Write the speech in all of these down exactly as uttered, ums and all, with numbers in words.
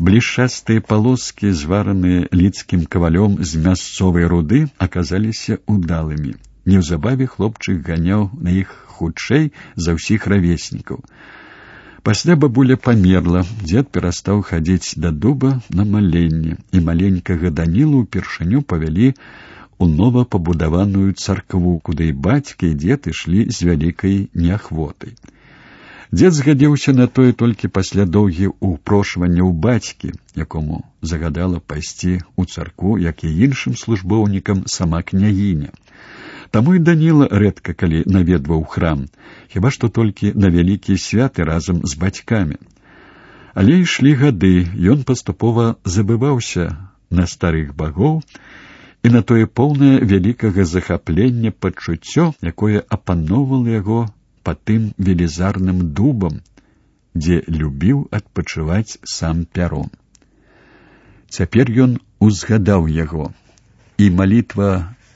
Блішчастыя палоскі, звараныя лідскім кавалём з мясцовай руды, аказаліся удалымі. Неўзабаве хлопчык ганяў на іх хутчэй за ўсіх равеснікаў. Пасля бабуля памерла, дзед перастаў хадзіць да дуба на маленне, і маленькага Данілу ўпершыню павялі у нова пабудаваную царкву, куды і бацька, і дзед ішлі з вялікай неахвотай. Дзед згадзіўся на тое толькі пасля доўгіх упрошванняў бацькі, якому загадала пайсці ў царкву, як і іншым службоўнікам сама княгіня. Таму і Даніла рэдка калі наведваў храм, хіба што толькі на вялікія святы разам з бацькамі. Але ішлі гады, ён паступова забываўся на старых багоў і на тое поўнае вялікага захаплення пачуццё, якое апаноўвала яго па тым велізарным дубам, дзе любіў адпачываць сам Пярун. Цяпер ён узгадаў яго, і малітва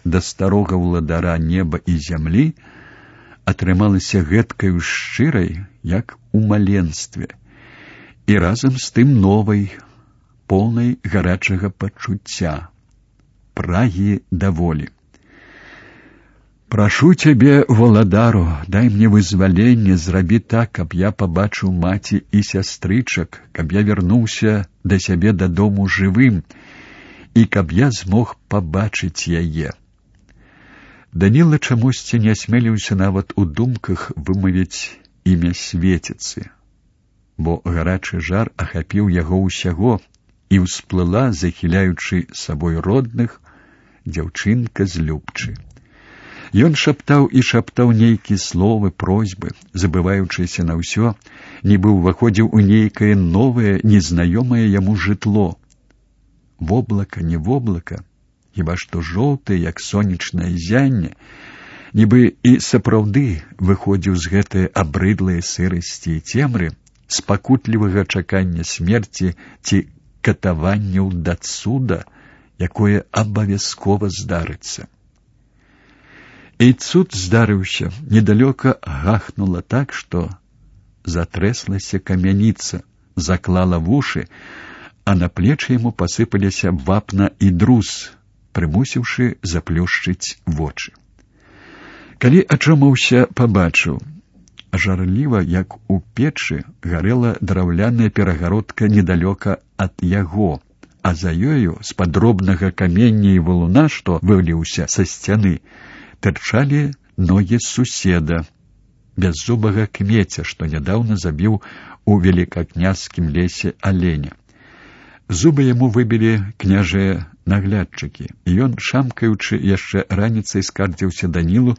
да старога ўладара неба і зямлі атрымалася гэткаю шчырай, як у маленстве, і разам з тым новай, поўнай гарачага пачуцця, прагі да волі. «Прашу цябе, валадару, дай мне вызваленне, зрабі так, каб я пабачыў маці і сястрычак, каб я вярнуўся да сябе дадому жывым, і каб я змог пабачыць яе». Даніла чамусьці не асмеліўся нават у думках вымавіць імя свеціцы, бо гарачы жар ахапіў яго ўсяго, і ўсплыла, захіляючы сабой родных, дзяўчынка з Любчы. Ён шаптаў і шаптаў нейкія словы, просьбы, забываючыся на ўсё, нібы ўваходзіў у нейкае новае, незнаёмае яму жытло. Воблака, не воблака, хіба што жоўтае, як сонечнае зянне, нібы і сапраўды выходзіў з гэтай абрыдлай сырасці і цемры, з пакутлівага чакання смерці ці катаванняў да цуда, якое абавязкова здарыцца. І цуд здарыўся, недалёка гахнула так, што затрэслася камяніца, заклала вушы, а на плечы яму пасыпаліся вапна і друз, прымусіўшы заплюшчыць вочы. Калі ачомаўся, пабачыў, жарліва, як у печы, гарэла драўляная перагародка недалёка ад яго, а за ёю, з падробнага камення і валуна, што выліўся са сцяны, тырчалі ногі суседа, бяззубага кмеця, што нядаўна забіў у велікакняжскім лесе аленя. Зубы яму выбілі княжыя наглядчыкі, і ён, шамкаючы, яшчэ раніцай скардзіўся Данілу,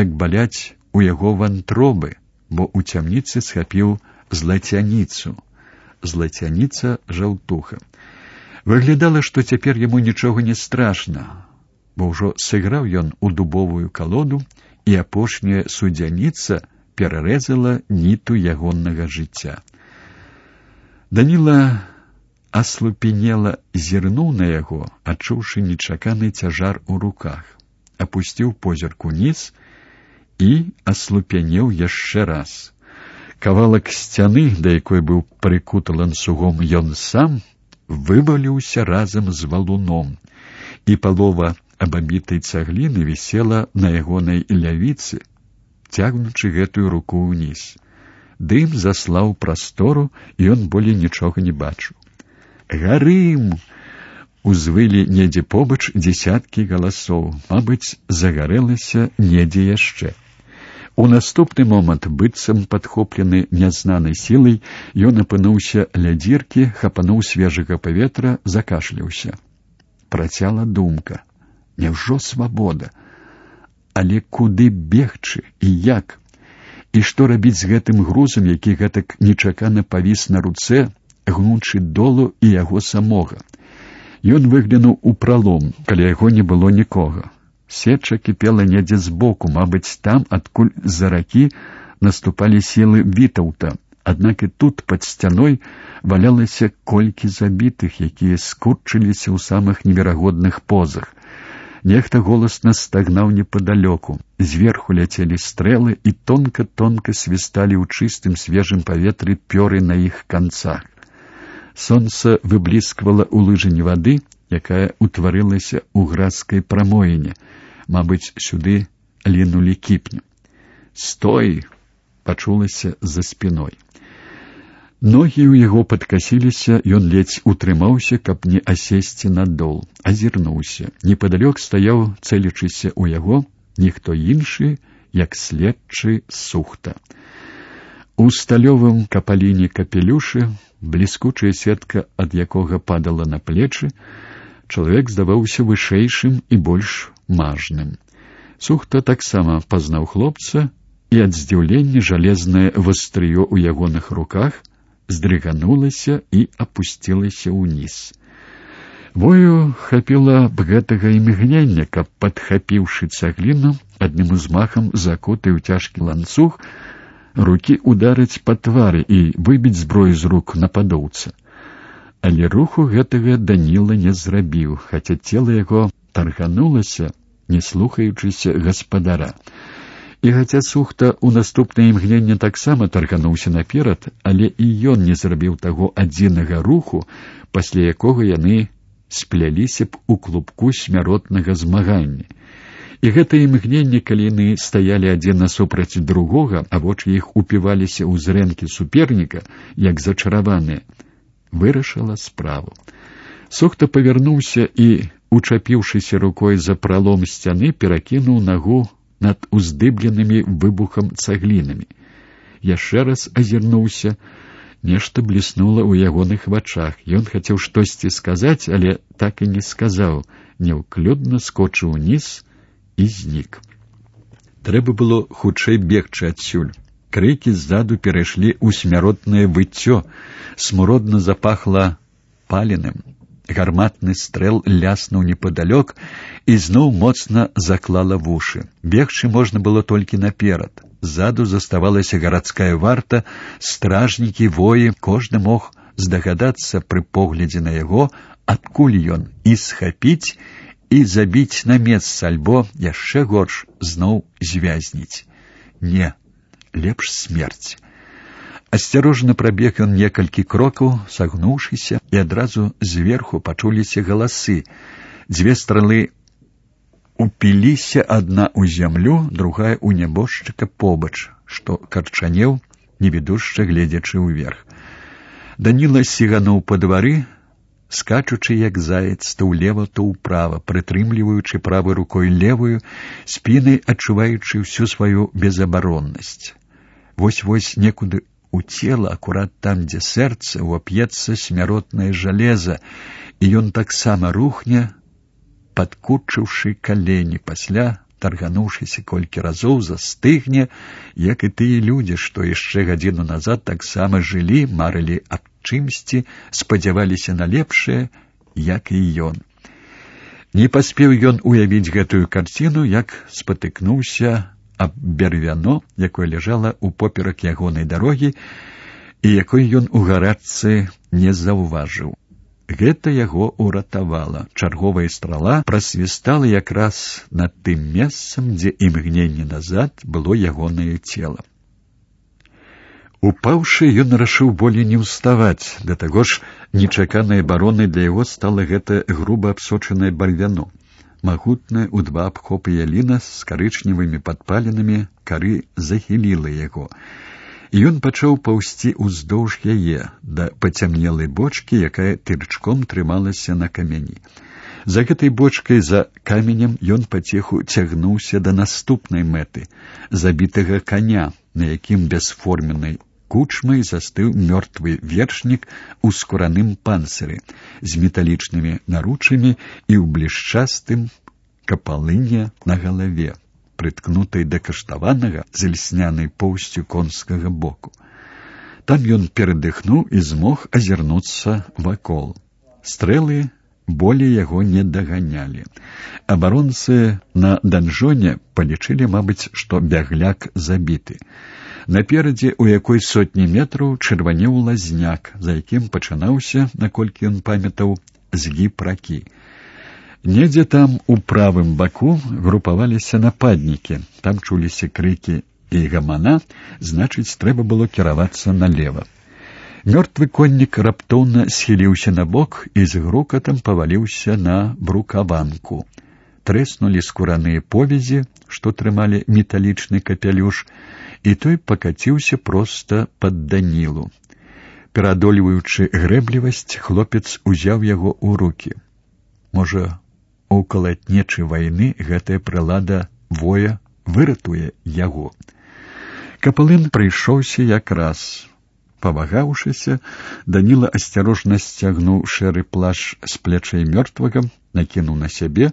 як баляць у яго вантробы, бо ў цямніцы схапіў злацяніцу. Злацяніца жаўтуха. Выглядала, што цяпер яму нічога не страшна, бо ўжо сыграў ён у дубовую калоду, і апошняя судзяніца перарэзала ніту ягоннага жыцця. Даніла аслупенела зірнуў на яго, адчуўшы нечаканы цяжар у руках, апусціў позірк уніз і аслупянеў яшчэ раз. Кавалак сцяны, да якой быў прыкуты ланцугом ён сам, вываліўся разам з валуном, і палова абабітай цагліны вісела на ягонай лявіцы, цягнучы гэтую руку ўніз. Дым заслаў прастору, і ён болей нічога не бачыў. «Гарым!» узвылі недзе побач дзесяткі галасоў, мабыць, загарэлася недзе яшчэ. У наступны момант, быццам падхоплены нязнанай сілай, ён апынуўся ля дзіркі, хапануў свежага паветра, закашляўся. Працяла думка. Няўжо свабода? Але куды бегчы і як? І што рабіць з гэтым грузам, які гэтак нечакана павіс на руцэ, гнучы долу і яго самога? Ён выглянуў у пралом, каля яго не было нікога. Сеча кіпела недзе збоку, мабыць, там, адкуль з-за ракі наступалі сілы Вітаўта. Аднак і тут, пад сцяной, валялася колькі забітых, якія скурчыліся ў самых неверагодных позах. Нехта голасна стагнаў непадалёку. Зверху ляцелі стрэлы і тонка-тонка свісталі ў чыстым свежым паветры пёры на іх канцах. Сонца выблісквала ў лыжыні вады, якая ўтварылася ў градскай прамоіне. Мабыць, сюды лінулі кіпні. «Стой!» — пачулася за спіной. Ногі ў яго падкасіліся, ён ледзь утрымаўся, каб не асесці надол. Азірнуўся. Непадалёк стаяў, цэлячыся ў яго, ніхто іншы, як следчы Сухта. У сталёвым капаліне капелюшы, бліскучая сетка ад якога падала на плечы, чалавек здаваўся вышэйшым і больш мажным. Сухта таксама пазнаў хлопца, і ад здзіўлення жалезнае вастрыё ў ягоных руках здрыганулася і апусцілася ўніз. Вою хапіла б гэтага імгнення, каб, падхапіўшы цагліну, адным узмахам закуты ў цяжкі ланцуг, рукі ударыць па твары і выбіць зброю з рук нападоўца. Але руху гэтага Даніла не зрабіў, хаця цела яго тарганулася, не слухаючыся гаспадара. І хаця Сухта ў наступнае імгненне таксама таргануўся наперад, але і ён не зрабіў таго адзінага руху, пасля якога яны спляліся б у клубку смяротнага змагання. І гэта імгненне, калі яны стаялі адзін насупраць другога, а вочы іх упіваліся ў зрэнкі суперніка, як зачараваныя, вырашыла справу. Сухта павярнуўся і, учапіўшыся рукой за пралом сцяны, перакінуў нагу над уздыбленымі выбухам цаглінамі. Яшчэ раз азірнуўся, нешта бліснула ў ягоных вачах. Ён хацеў штосьці сказаць, але так і не сказаў, няўклюдна скочыў уніз і знік. Трэба было хутчэй бегчы адсюль. Крыкі ззаду перайшлі ў смяротнае выццё, смуродна запахла паленым. Гарматны стрэл ляснуў непадалёк і зноў моцна заклала вушы. Бегчы можна было толькі наперад. Ззаду заставалася гарадская варта, стражнікі, воі, кожны мог здагадацца пры поглядзе на яго, адкуль ён, і схапіць, і забіць на месца, альбо, яшчэ горш, зноў звязніць. Не, лепш смерць. Асцярожна прабег ён некалькі крокаў, сагнуўшыся, і адразу зверху пачуліся галасы. Дзве стрэлы упіліся, адна ў зямлю, другая ў нябожчыка побач, што карчанеў, невідушча гледзячы ўверх. Даніла сігануў па двары, скачучы як заяц, то ўлева, то ўправа, прытрымліваючы правай рукой левую, спінай адчуваючы ўсю сваю безабароннасць. Вось-вось некуды у цела, акурат там, дзе сэрца, увап'ецца смяротнае жалеза, і ён таксама рухне, падкурчыўшы калені, пасля, таргануўшыся колькі разоў, застыгне, як і тыя людзі, што яшчэ гадзіну назад таксама жылі, марылі аб чымсьці, спадзяваліся на лепшае, як і ён. Не паспеў ён уявіць гэтую карціну, як спатыкнуўся аб бервяно, якое ляжала ў поперак ягонай дарогі, і якой ён у гарачцы не заўважыў. Гэта яго ўратавала. Чарговая страла прасвістала якраз над тым месцам, дзе імгненне назад было ягонае цела. Упаўшы, ён рашыў болей не ўставаць, да таго ж нечаканай абаронай для яго стала гэта груба абсочанае барвяно. Магутная ў два абхопы яліна з карычневымі падпаленамі кары захіліла яго. І ён пачаў паўзці ўздоўж яе, да пацямнелай бочкі, якая тырчком трымалася на камяні. За гэтай бочкай, за каменем, ён паціху цягнуўся да наступнай мэты, забітага каня, на якім бясформеннай кучмай застыў мёртвы вершнік у скураным панцыры, з металічнымі наручамі і ў блішчастым капалыне на галаве, прыткнутай да каштаванага з льснянай поўсцю конскага боку. Там ён перадыхнуў і змог азірнуцца вакол. Стрэлы болей яго не даганялі. Абаронцы на данжоне палічылі, мабыць, што бягляк забіты. Наперадзе, у якой сотні метраў, чырванеў лазняк, за якім пачынаўся, наколькі ён памятаў, згіб ракі. Недзе там, у правым баку, групаваліся нападнікі. Там чуліся крыкі і гамана, значыць, трэба было кіравацца налева. Мёртвы коннік раптоўна схіліўся на бок і з грукатам паваліўся на брукаванку. Трэснулі скураныя повязі, што трымалі металічны капялюш, і той пакаціўся проста пад Данілу. Пераадольваючы грэблівасць, хлопец узяў яго ў рукі. Можа, у калатнечы вайны гэтая прылада воя выратуе яго. Капылын прыйшоўся якраз. Павагаўшыся, Даніла асцярожна сцягнуў шэры плашч з плячэй мёртвага, накінуў на сябе,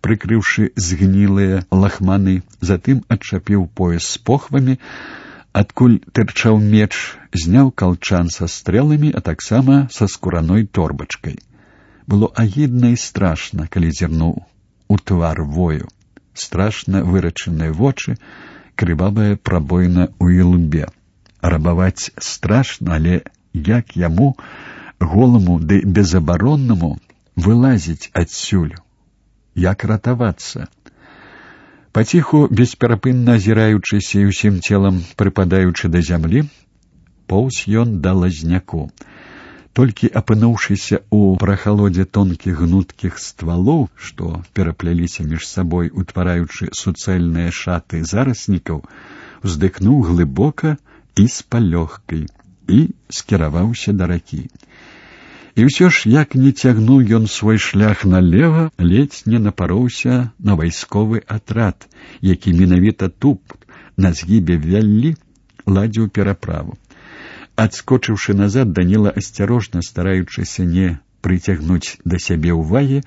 прыкрыўшы згнілыя лахманы, затым адчапіў пояс з похвамі, адкуль тырчаў меч, зняў калчан са стрэламі, а таксама са скураной торбачкай. Было агідна і страшна, калі зірнуў у твар вою. Страшна вырачаныя вочы, крывавая прабоіна ў ілбе. Рабаваць страшна, але як яму, голаму ды безабароннаму, вылазіць адсюль? Як ратавацца? Паціху, бесперапынна азіраючыся і ўсім целам прыпадаючы да зямлі, поўз ён да лазняку. Толькі апынуўшыся ў прахалодзе тонкіх гнуткіх ствалоў, што перапляліся між сабой, утвараючы суцэльныя шаты зараснікаў, уздыхнуў глыбока і з палёгкай, і скіраваўся да ракі. І ўсё ж, як не цягнуў ён свой шлях налева, ледзь не напароўся на вайсковы атрад, які менавіта тут, на згібе вяллі, ладзіў пераправу. Адскочыўшы назад, Даніла, асцярожна стараючыся не прыцягнуць да сябе ўвагі,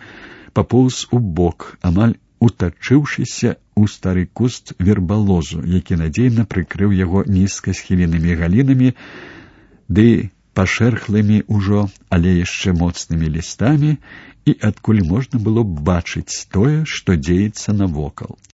папоўз у бок, амаль утачыўшыся ў стары куст вербалозу, які надзейна прыкрыў яго нізка схіленымі галінамі ды пашэрхлымі ўжо, але яшчэ моцнымі лістамі, і адкуль можна было б бачыць тое, што дзеецца навокал.